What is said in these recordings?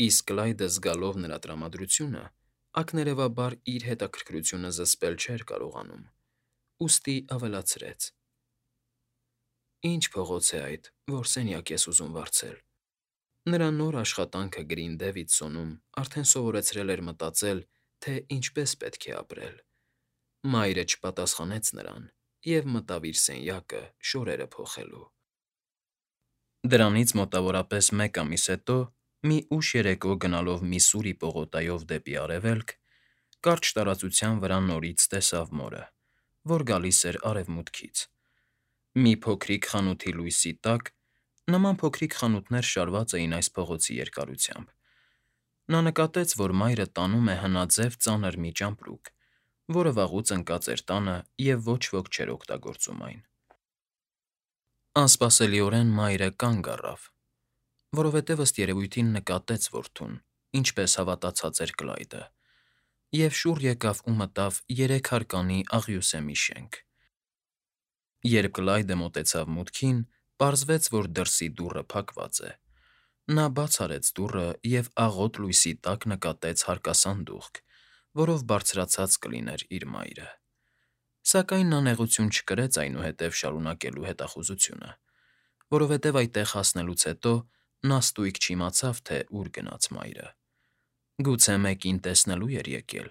Իսկ Կլայդը զգալով նրա տրամադրությունը, ակներևաբար իր հետաքրքրությունը զսպել չէր կարողանում, ուստի ավելացրեց. «Ի՞նչ փողոց է այդ, որ սենյակ ես ուզում վարձել»։ Նրա նոր աշխատանքը Գրին Դեվիդսոնում արդեն սովորեցրել էր մտածել, թե ինչպես պետք է ապրել։ Մայրը չպատասխանեց նրան և մտավ իր սենյակը շորերը փոխելու։ Դրանից մոտավորապես մեկ ամիս հետո, մի ուշ երեկո գնալով Միսսուրի պողոտայով դեպի արևելք, կարճ տարածության վրա նորից տեսավ մորը, որ գալիս էր արևմուտքից։ Մի փոքրիկ խանութի լույսի տակ (նման փոքրիկ խանութներ շարված էին այս փողոցի երկարությամբ) նա նկատեց, որ մայրը տանում է հնաձև ծանր մի ճամպրուկ, որը վաղուց ընկած էր տանը և ոչ ոք չէր օգտագործում այն։ Անսպասելիորեն մայրը կանգ առավ, որովհետև ըստ երևույթին նկատեց որդուն, ինչպես հավատացած էր Կլայդը, և շուռ եկավ ու մտավ երեքհարկանի աղյուսե մի շենք։ Երբ Կլայդը մոտեցավ մուտքին, պարզվեց, որ դրսի դուռը փակված է։ Նա բաց արեց դուռը և աղոտ լույսի տակ նկատեց հարկասանդուղք, որով բարձրացած կլիներ իր մայրը։ Սակայն նա նեղություն չկրեց այնուհետև շարունակելու հետախուզությունը, որովհետև այդտեղ հասնելուց հետո նա ստույգ չիմացավ, թե ուր գնաց մայրը։ Գուցե մեկին տեսնելու էր եկել։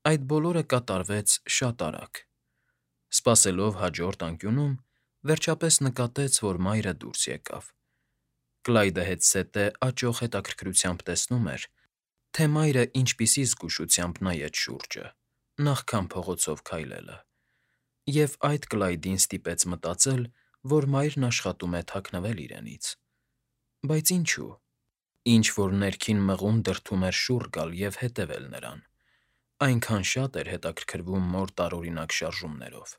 Այդ բոլորը կատարվեց շատ արագ։ Սպասելով հաջորդ անկյունում, վերջապես նկատեց, որ մայրը դուրս եկավ։ Կլայդը հետզհետե աճող հետաքրքրությամբ տեսնում էր, թե մայրը ինչպիսի զգուշությամբ նայեց շուրջը, նախքան փողոցով քայլելը, և այդ Կլայդին ստիպեց մտածել, որ մայրն աշխատում է թաքնվել իրենից։ Բայց ինչու՞։ Ինչ֊որ ներքին մղում դրդում էր շուռ գալ և հետևել նրան, այնքան շատ էր հետաքրքրվում մոր տարօրինակ շարժումներով։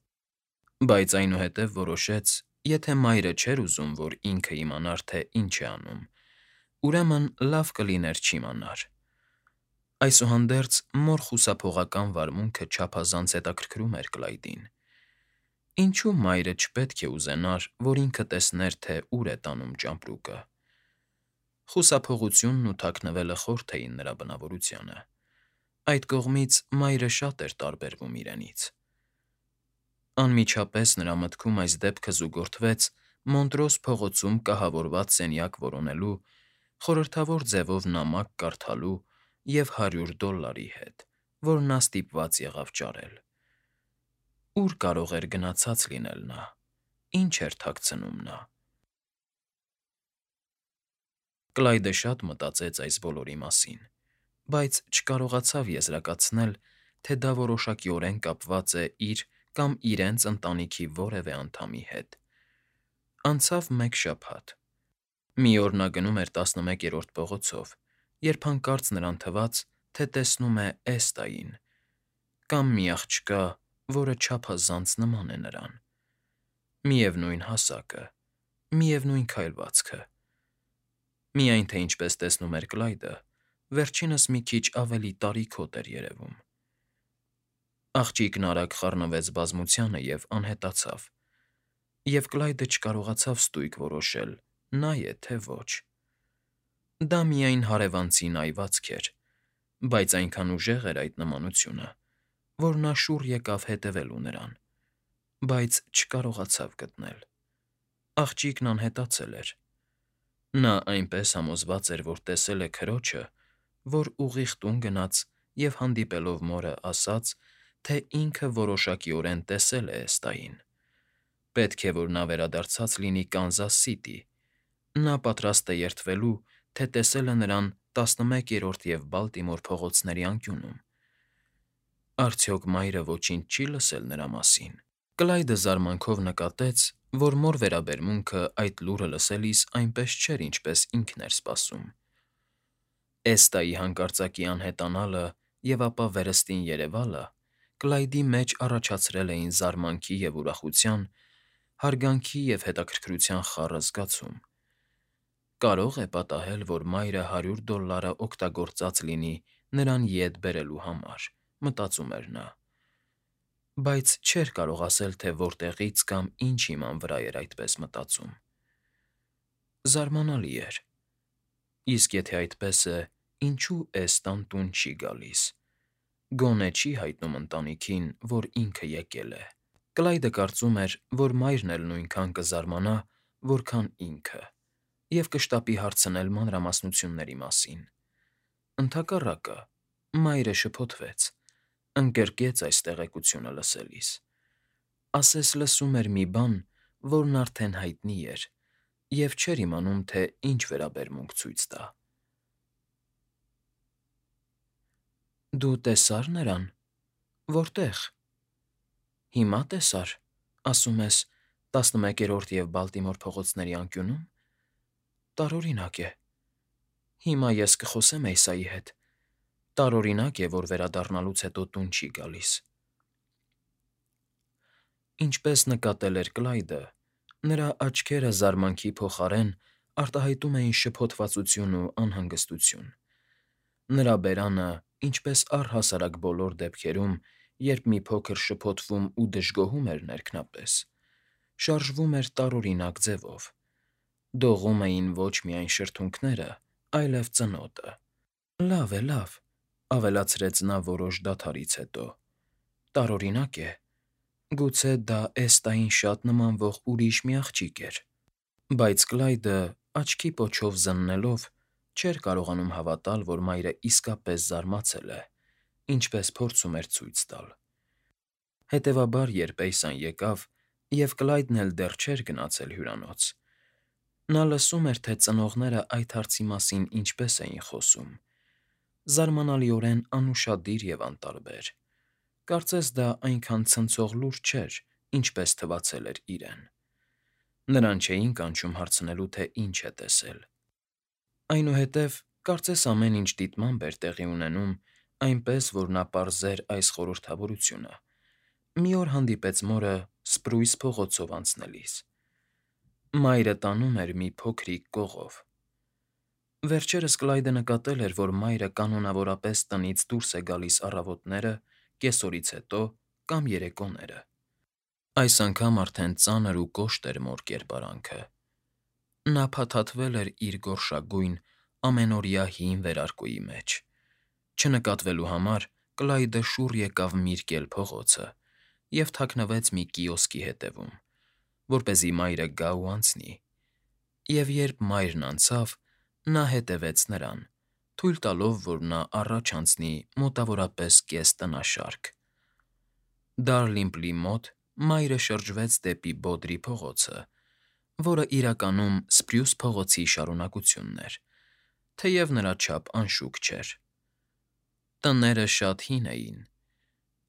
Բայց այնուհետև որոշեց, եթե մայրը չէր ուզում, որ ինքը իմանար, թե ինչ է անում, ուրեմն լավ կլիներ չիմանար։ Այսուհանդերձ մոր խուսափողական վարմունքը չափազանց հետաքրքրում էր Կլայդին։ Ինչո՞ւ մայրը չպետք է ուզենար, որ ինքը տեսներ, թե ուր է տանում ճամպրուկը։ Խուսափողությունն ու թաքնվելը խորթ էին նրա բնավորությանը։ Այդ կողմից մայրը շատ էր տարբերվում իրենից։ Անմիջապես նրա մտքում այս դեպքը զուգորդվեց Մոնտրոս փողոցում կահավորված սենյակ որոնելու, խորհրդավոր ձևով նամակ կարդալու և $100 հետ, որ նա ստիպված եղավ ճարել։ Ո՞ւր կարող էր գնացած լինել նա, ինչ էր թաքցնում նա։ Կլայդը շատ մտածեց այս բոլորի մասին, բայց չկարողացավ եզրակացնել, թե դա որոշակիորեն կապված է իր կամ իրենց ընտանիքի որևէ անդամի հետ։ Անցավ մեկ շաբաթ։ Մի օր նա գնում էր 11-րդ փողոցով, երբ հանկարծ նրան թվաց, թե տեսնում է Էստային, կամ մի աղջկա, որը չափազանց նման է նրան։ Միևնույն հասակը, միևնույն քայլվածքը։ Միայն թե ինչպես տեսնում էր Կլայդը, վերջինս մի քիչ ավելի տարիքոտ էր երևում։ Աղջիկն արագ խառնվեց բազմությանը և անհետացավ, և Կլայդը չկարողացավ ստույգ որոշել՝ նա է, թե ոչ։ Դա միայն հարևանցի նայվածք էր, բայց այնքան ուժեղ էր այդ նմանությունը, որ նա շուռ եկավ հետևելու նրան, բայց չկարողացավ գտնել։ Աղջիկն անհետացել էր։ Նա այնպես համոզված էր, որ տեսել է քրոջը, որ ուղիղ տուն գնաց և հանդիպելով մորը ասաց, թե ինքը որոշակիորեն տեսել է Էստային։ Պետք է, որ նա վերադարձած լինի Կանզաս Սիթի։ Նա պատրաստ է երդվելու, թե տեսել է նրան 11-րդ և Բալտիմոր փողոցների անկյունում։ Արդյոք մայրը ոչինչ չի՞ լսել նրա մասին։ Կլայդը զարմանքով նկատեց, որ մոր վերաբերմունքը այդ լուրը լսելիս այնպես չէր, ինչպես ինքն էր սպասում։ Էստայի հանկարծակի անհետանալը և ապա վերստին երևալը Կլայդի մեջ առաջացրել էին զարմանքի և ուրախության, հարգանքի և հետաքրքրության խառը զգացում։ Կարո՞ղ է պատահել, որ մայրը $100 օգտագործած լինի նրան ետ բերելու համար, մտածում էր նա, բայց չէր կարող ասել, թե որտեղից կամ ինչ հիման վրա էր այդպես մտածում։ Զարմանալի էր։ Իսկ եթե այդպես է, ինչու էստան տուն չի գալիս։ Գոնե չի հայտնում ընտանիքին, որ ինքը եկել է։ Կլայդը կարծում էր, որ մայրն էլ նույնքան կզարմանա, որքան ինքը, և կշտապի հարցնել մանրամասնությունների մասին։ Ընդհակառակը, մայրը շփոթվեց, ընկրկեց այս տեղեկությունը լսելիս։ Ասես լսում էր մի բան, որն արդեն հայտնի էր, և չէր իմանում, թե ինչ վերաբերմունք ցույց տա։ Դու տեսա՞ր նրան։ Որտե՞ղ։ Հիմա տեսա՞ր, ասում ես, 11-րդ և Բալտիմոր փողոցների անկյունում։ Տարօրինակ է։ Հիմա ես կխոսեմ Էյսայի հետ։ Տարօրինակ է, որ վերադառնալուց հետո տուն չի գալիս։ Ինչպես նկատել էր Կլայդը, նրա աչքերը զարմանքի փոխարեն արտահայտում էին շփոթվածություն ու անհանգստություն։ Նրա բերանը, ինչպես առհասարակ բոլոր դեպքերում, երբ մի փոքր շփոթվում ու դժգոհում էր ներքնապես, շարժվում էր տարօրինակ ձևով։ Դողում էին ոչ միայն շրթունքները, այլև ծնոտը։ Լավ, ավելացրեց նա որոշ դադարից հետո։ Տարօրինակ է։ Գուցե դա Էստային շատ նմանվող ուրիշ մի աղջիկ էր։ Բայց Կլայդը, աչքի պոչով զննելով, չէր կարողանում հավատալ, որ մայրը իսկապես զարմացել է, ինչպես փորձում էր ցույց տալ։ Հետևաբար, երբ Էյսան եկավ, և Կլայդն էլ դեռ չէր գնացել հյուրանոց, նա լսում էր, թե ծնողները այդ հարցի մասին ինչպես էին խոսում։ Զարմանալիորեն անուշադիր և անտարբեր։ Կարծես դա այնքան ցնցող լուր չէր, ինչպես թվացել էր իրեն։ Նրան չէին կանչում հարցնելու, թե ինչ է տեսել։ Այնուհետև, կարծես ամեն ինչ դիտմամբ էր տեղի ունենում, այնպես, որ նա պարզեր այս խորհրդավորությունը։ Մի օր հանդիպեց մորը Սպրույս փողոցով անցնելիս։ Մայրը տանում էր մի փոքրիկ կողով։ Վերջերս Կլայդը նկատել էր, որ մայրը կանոնավորապես տնից դուրս է գալիս առավոտները, կեսօրից հետո կամ երեկոները։ Այս անգամ արդեն ծանր ու կոշտ էր մոր կերպարանքը։ Նա փաթաթվել էր իր գորշագույն, ամենօրյա հին վերարկուի մեջ։ Չնկատվելու համար Կլայդը շուռ եկավ Միրկել փողոցը և թաքնվեց մի կիոսկի հետևում, որպեսզի մայրը գա ու անցնի։ Եվ երբ մայրն անցավ, նա հետևեց նրան, թույլ տալով, որ նա առաջ անցնի մոտավորապես կես տնաշարք։ Դարլիմպլի մոտ մայրը շրջվեց դեպի Բոդրի փողոցը, որը իրականում Սպրյուս փողոցի շարունակությունն էր, թեև նրա չափ անշուք չէր։ Տները շատ հին էին,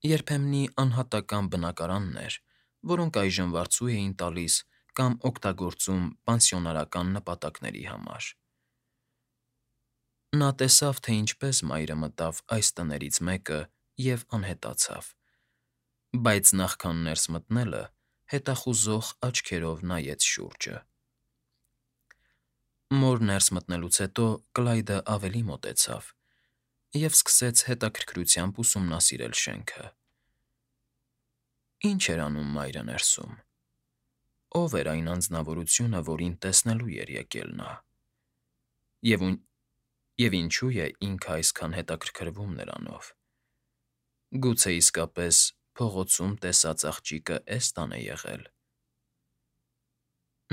երբեմնի անհատական բնակարաններ, որոնք այժմ վարձու էին տալիս կամ օգտագործում պանսիոնարական նպատակների համար։ Նա տեսավ, թե ինչպես մայրը մտավ այս տներից մեկը և անհետացավ, բայց նախքան ներս մտնելը հետախուզող աչքերով նայեց շուրջը։ Մոր ներս մտնելուց հետո Կլայդը ավելի մոտեցավ և սկսեց հետաքրքրությամբ ուսումնասիրել շենքը։ Ինչ էր անում մայրը ներսում։ Ո՞վ էր այն անձնավորությունը, որին տեսնելու էր եկել նա։ Եվ ինչու է ինքը այսքան հետաքրքրվում նրանով։ Գուցե իսկապես փողոցում տեսած աղջիկը Էստան է եղել։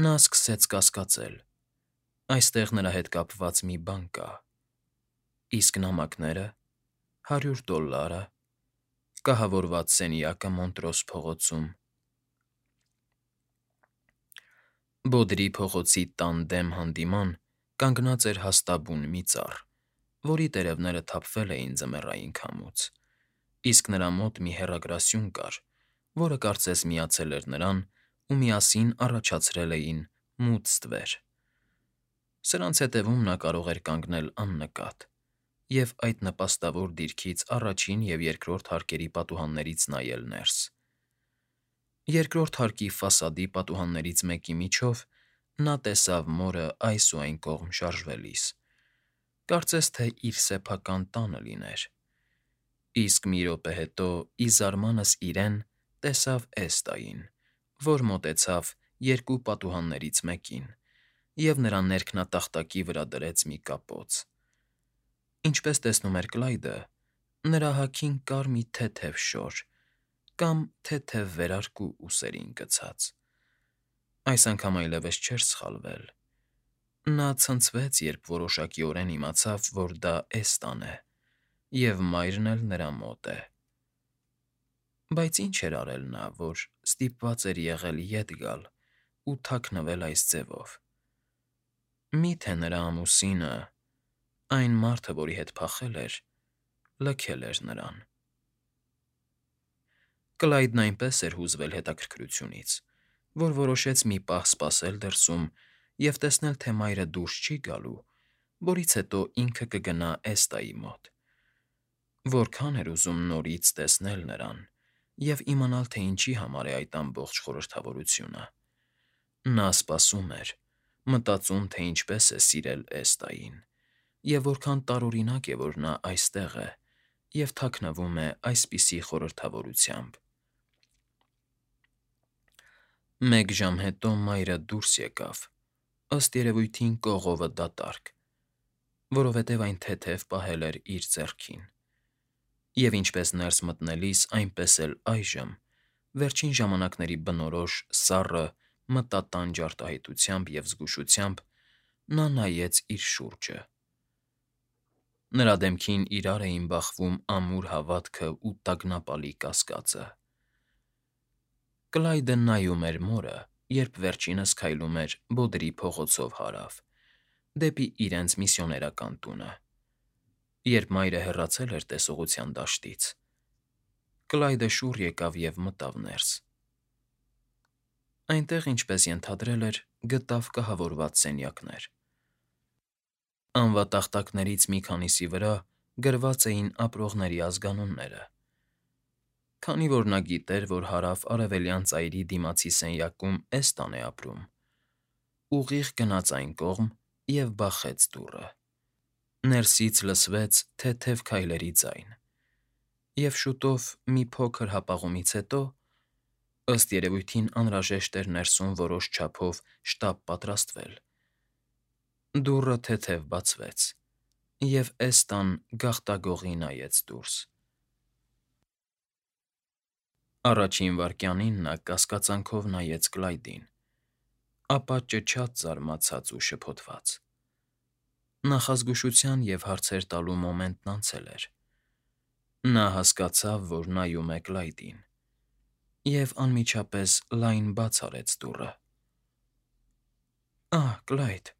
Նա սկսեց կասկածել։ Այստեղ նրա հետ կապված մի բան կա։ Իսկ նամակները, $100, կահավորված սենյակը Մոնտրոս փողոցում։ Բոդրի փողոցի տան դեմ հանդիման կանգնած էր հաստաբուն մի ծառ, որի տերևները թափվել էին ձմեռային քամուց, իսկ նրա մոտ մի հեռագրասյուն կար, որը կարծես միացել էր նրան ու միասին առաջացրել էին մութ ստվեր։ Սրանց հետևում նա կարող էր կանգնել աննկատ և այդ նպաստավոր դիրքից առաջին և երկրորդ հարկերի պատուհաններից նայել ներս։ Երկրորդ հարկի ֆասադի պատուհաններից մեկի միջով նա տեսավ մորը այս ու այն կողմ շարժվելիս, կարծես թե իր սեփական տանը լիներ։ Իսկ մի րոպե հետո ի զարմանս իրեն տեսավ Էստային, որ մոտեցավ երկու պատուհաններից մեկին և նրա ներքնատախտակի վրա դրեց մի կապոց։ Ինչպես տեսնում էր Կլայդը, նրա հագին կար մի թեթև շոր կամ թեթև վերարկու ուսերին գցած։ Այս անգամ այլևս չէր սխալվել։ Նա ցնցվեց, երբ որոշակիորեն իմացավ, որ դա Էստան է, և մայրն էլ նրա մոտ է։ Բայց ինչ էր արել նա, որ ստիպված էր եղել ետ գալ ու թաքնվել այս ձևով։ Մի՞թե նրա ամուսինը, այն մարդը, որի հետ փախել էր, լքել էր նրան։ Կլայդն այնպես էր հուզվել հետաքրքրությունից, որ որոշեց մի պահ սպասել դրսում և տեսնել, թե մայրը դուրս չի գալու, որից հետո ինքը կգնա Էստայի մոտ։ Որքան էր ուզում նորից տեսնել նրան և իմանալ, թե ինչի համար է այդ ամբողջ խորհրդավորությունը։ Նա սպասում էր, մտածում, թե ինչպես է սիրել Էստային, և որքան տարօրինակ է, որ նա այստեղ է և թաքնվում է այսպիսի խորհրդավորությամբ։ Մեկ ժամ հետո մայրը դուրս եկավ, ըստ երևույթին կողովը դատարկ, որովհետև այն թեթև պահել էր իր ձեռքին։ Եվ ինչպես ներս մտնելիս, այնպես էլ այժմ, վերջին ժամանակների բնորոշ սառը, մտատանջ արտահայտությամբ և զգուշությամբ, նա նայեց իր շուրջը։ Նրա դեմքին իրար էին բախվում ամուր հավատքը ու տագնապալի կասկածը։ Կլայդը նայում էր մորը, երբ վերջինս քայլում էր Բոդրի փողոցով հարավ, դեպի իրենց միսիոներական տունը։ Երբ մայրը հեռացել էր տեսողության դաշտից, Կլայդը շուռ եկավ և մտավ ներս։ Այնտեղ, ինչպես ենթադրել էր, գտավ կահավորված սենյակներ։ Անվատախտակներից մի քանիսի վրա գրված էին ապրողների ազգանունները։ Քանի որ նա գիտեր, որ հարավ֊արևելյան ծայրի դիմացի սենյակում Էստան է ապրում, ուղիղ գնաց այն կողմ և բախեց դուռը։ Ներսից լսվեց թեթև քայլերի ձայն, և շուտով, մի փոքր հապաղումից հետո, ըստ երևույթին անհրաժեշտ էր ներսում որոշ չափով շտապ պատրաստվել, դուռը թեթև բացվեց, և Էստան գաղտագողի նայեց դուրս։ Առաջին վայրկյանին նա կասկածանքով նայեց Կլայդին, ապա ճչաց զարմացած ու շփոթված։ Նախազգուշության և հարցեր տալու մոմենտն անցել էր։ Նա հասկացավ, որ նայում է Կլայդին, և անմիջապես լայն բաց արեց դուռը։ «Ահ, Կլայդ»,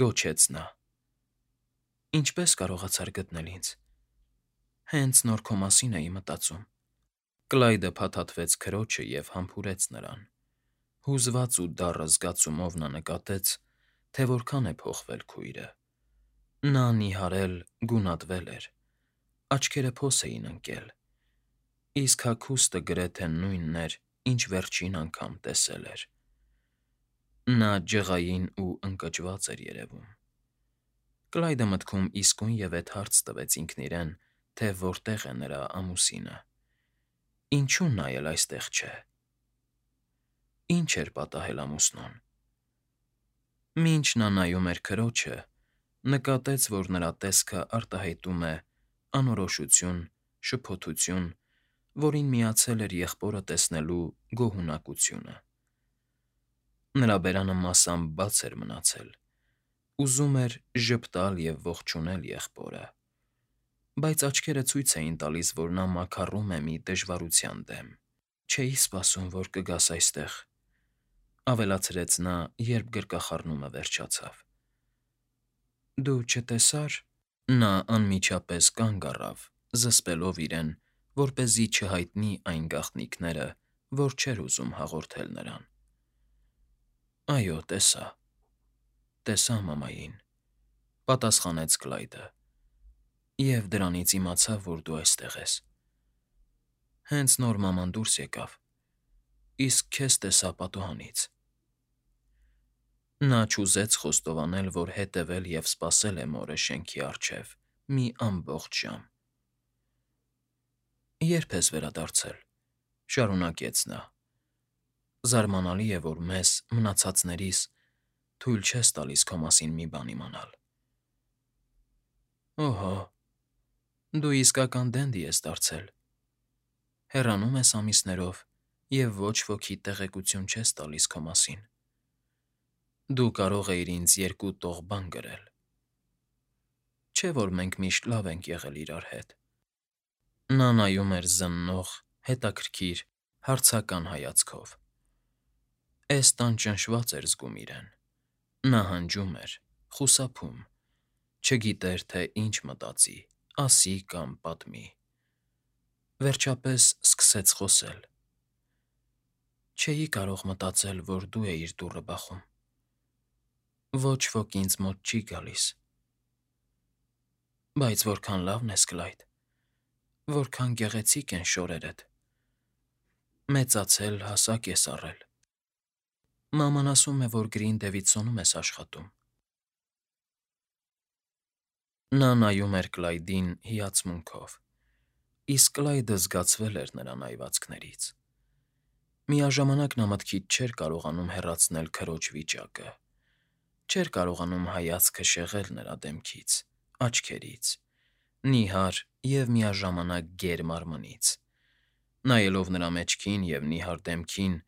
գոչեց նա, ինչպե՞ս կարողացար գտնել ինձ։ Հենց նոր քո մասին էի մտածում։ Կլայդը փաթաթվեց քրոջը և համբուրեց նրան։ Հուզված ու դառը զգացումով նա նկատեց, թե որքան է փոխվել քույրը։ Նա նիհարել, գունատվել էր, աչքերը փոս էին ընկել, իսկ հագուստը գրեթե նույնն էր, ինչ վերջին անգամ տեսել էր։ Նա ջղային ու ընկճված էր երևում։ Կլայդը մտքում իսկույնևեթ հարց տվեց ինքն իրեն, թե որտեղ է նրա ամուսինը։ Ինչու նա էլ այստեղ չէ։ Ինչ էր պատահել ամուսնուն։ Մինչ նա նայում էր քրոջը, նկատեց, որ նրա տեսքը արտահայտում է անորոշություն, շփոթություն, որին միացել էր եղբորը տեսնելու գոհունակությունը։ Նրա բերանը մասամբ բաց էր մնացել, ուզում էր ժպտալ և ողջունել եղբորը, բայց աչքերը ցույց էին տալիս, որ նա մաքառում է մի դժվարության դեմ։ «Չէի սպասում, որ կգաս այստեղ», ավելացրեց նա, երբ գրկախառնումը վերջացավ։ «Դու չտեսա՞ր»։ Նա անմիջապես կանգ առավ, զսպելով իրեն, որպեսզի չհայտնի այն գաղտնիքները, որ չէր ուզում հաղորդել նրան։ «Այո, տեսա։ Տեսա մամային», ֊ պատասխանեց Կլայդը, «և դրանից իմացա, որ դու այստեղ ես։ Հենց նոր մաման դուրս եկավ, իսկ քեզ տեսա պատուհանից»։ Նա չուզեց խոստովանել, որ հետևել և սպասել է մորը շենքի առջև մի ամբողջ ժամ։ «Ե՞րբ ես վերադարձել», ֊ շարունակեց նա։ «Զարմանալի է, որ մեզ, մնացածներիս, թույլ չես տալիս քո մասին մի բան իմանալ։ Օհո, դու իսկական դենդի ես դարձել։ Հեռանում ես ամիսներով և ոչ ոքի տեղեկություն չես տալիս քո մասին։ Դու կարող էիր ինձ երկու տող բան գրել։ Չէ՞ որ մենք միշտ լավ ենք եղել իրար հետ։ Նա նայում էր զննող, հետաքրքիր, հարցական հայացքով։ Էստան ճնշված էր զգում իրեն։ Նա հանջում էր, խուսափում, չգիտեր, թե ինչ մտածի, ասի կամ պատմի։ Վերջապես սկսեց խոսել. Չէի կարող մտածել, որ դու էիր դուռը բախում։ Ոչ ոք ինձ մոտ չի գալիս։ Բայց որքան լավն ես, Կլայդ, որքան գեղեցիկ են շորերդ։ Մեծացել, հասակ ես առել։ Մաման ասում է, որ Գրին Դևիդսոնում ես աշխատում։ Նա նայում էր Կլայդին հիացմունքով, իսկ Կլայդը զգացվել էր նրա նայվածքներից։ Միաժամանակ նա մտքից չէր կարողանում հեռացնել քրոջ վիճակը, չէր կարողանում հայացքը շեղել նրա դեմքից, աչքերից, նիհար և միաժամանակ գեր մարմնից։ Նայելով նրա մեջքին և նիհար դեմքին,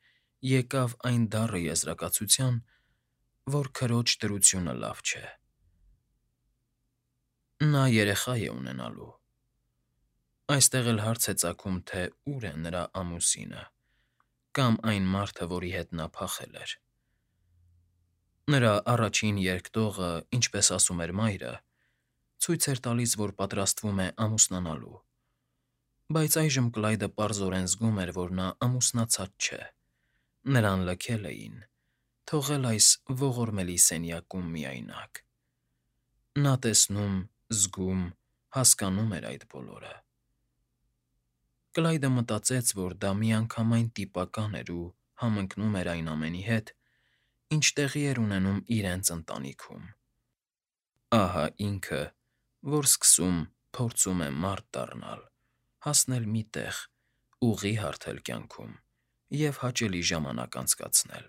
եկավ այն դառը եզրակացության, որ քրոջ դրությունը լավ չէ։ Նա երեխա է ունենալու։ Այստեղ էլ հարց է ծագում, թե ուր է նրա ամուսինը, կամ այն մարդը, որի հետ նա փախել էր։ Նրա առաջին երկտողը, ինչպես ասում էր մայրը, ցույց էր տալիս, որ պատրաստվում է ամուսնանալու, բայց այժմ Կլայդը պարզորեն զգում էր, որ նա ամուսնացած չէ։ Նրան լքել էին, թողել այս ողորմելի սենյակում միայնակ։ Նա տեսնում, զգում, հասկանում էր այդ բոլորը։ Կլայդը մտածեց, որ դա միանգամայն տիպական էր ու համընկնում էր այն ամենի հետ, ինչ տեղի էր ունենում իրենց ընտանիքում։ Ահա ինքը, որ սկսում, փորձում է մարդ դառնալ, հասնել մի տեղ, ուղի հարթել կյանքում և հաճելի ժամանակ անցկացնել։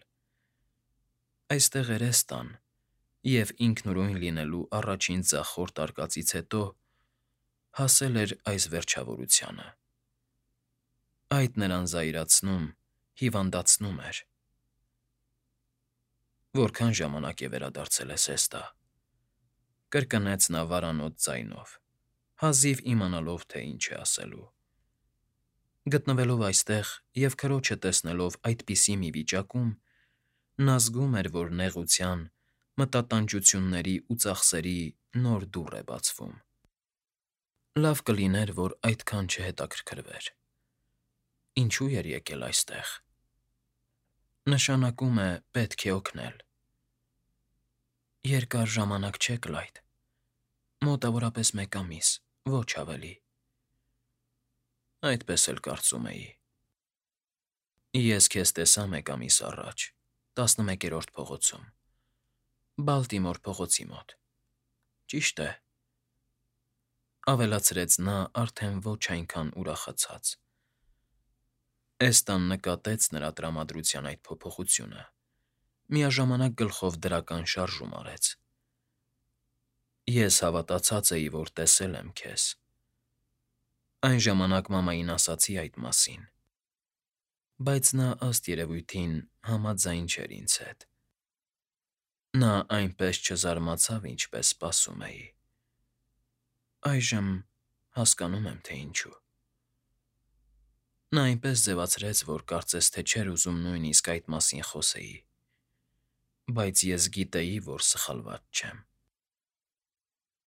Այստեղ էր Էստան, և ինքնուրույն լինելու առաջին ձախորդ արկածից հետո հասել էր այս վերջավորությանը։ Այդ նրան զայրացնում, հիվանդացնում էր։ Որքան ժամանակ է վերադարձել ես, Էստա,֊ կրկնեց նա վարանոց ձայնով, հազիվ իմանալով, թե ինչ է ասելու։ Գտնվելով այստեղ և քրոջը տեսնելով այդպիսի մի վիճակում, նա զգում էր, որ նեղության, մտատանջությունների ու ծախսերի նոր դուռ է բացվում։ Լավ կլիներ, որ այդքան չհետաքրքրվեր։ Ինչու էր եկել այստեղ։ Նշանակում է պետք է օգնել։ Երկար ժամանակ չէ, Կլայդ, մոտավորապես 1 ամիս, ոչ ավելի։ Այդպես էլ կարծում էի։ Ես քեզ տեսա 1 ամիս առաջ, 11-րդ փողոցում, Բալտիմոր փողոցի մոտ։ Ճիշտ է,֊ ավելացրեց նա արդեն ոչ այնքան ուրախացած։ Էստան նկատեց նրա տրամադրության այդ փոփոխությունը, միաժամանակ գլխով դրական շարժում արեց։ Ես հավատացած էի, որ տեսել եմ քեզ։ Այն ժամանակ մամային ասացի այդ մասին, բայց նա, ըստ երևույթին, համաձայն չէր ինձ հետ։ Նա այնպես չզարմացավ, ինչպես սպասում էի։ Այժմ հասկանում եմ, թե ինչու։ Նա այնպես ձևացրեց, որ կարծես թե չէր ուզում նույնիսկ այդ մասին խոսեի, բայց ես գիտեի, որ սխալված չեմ։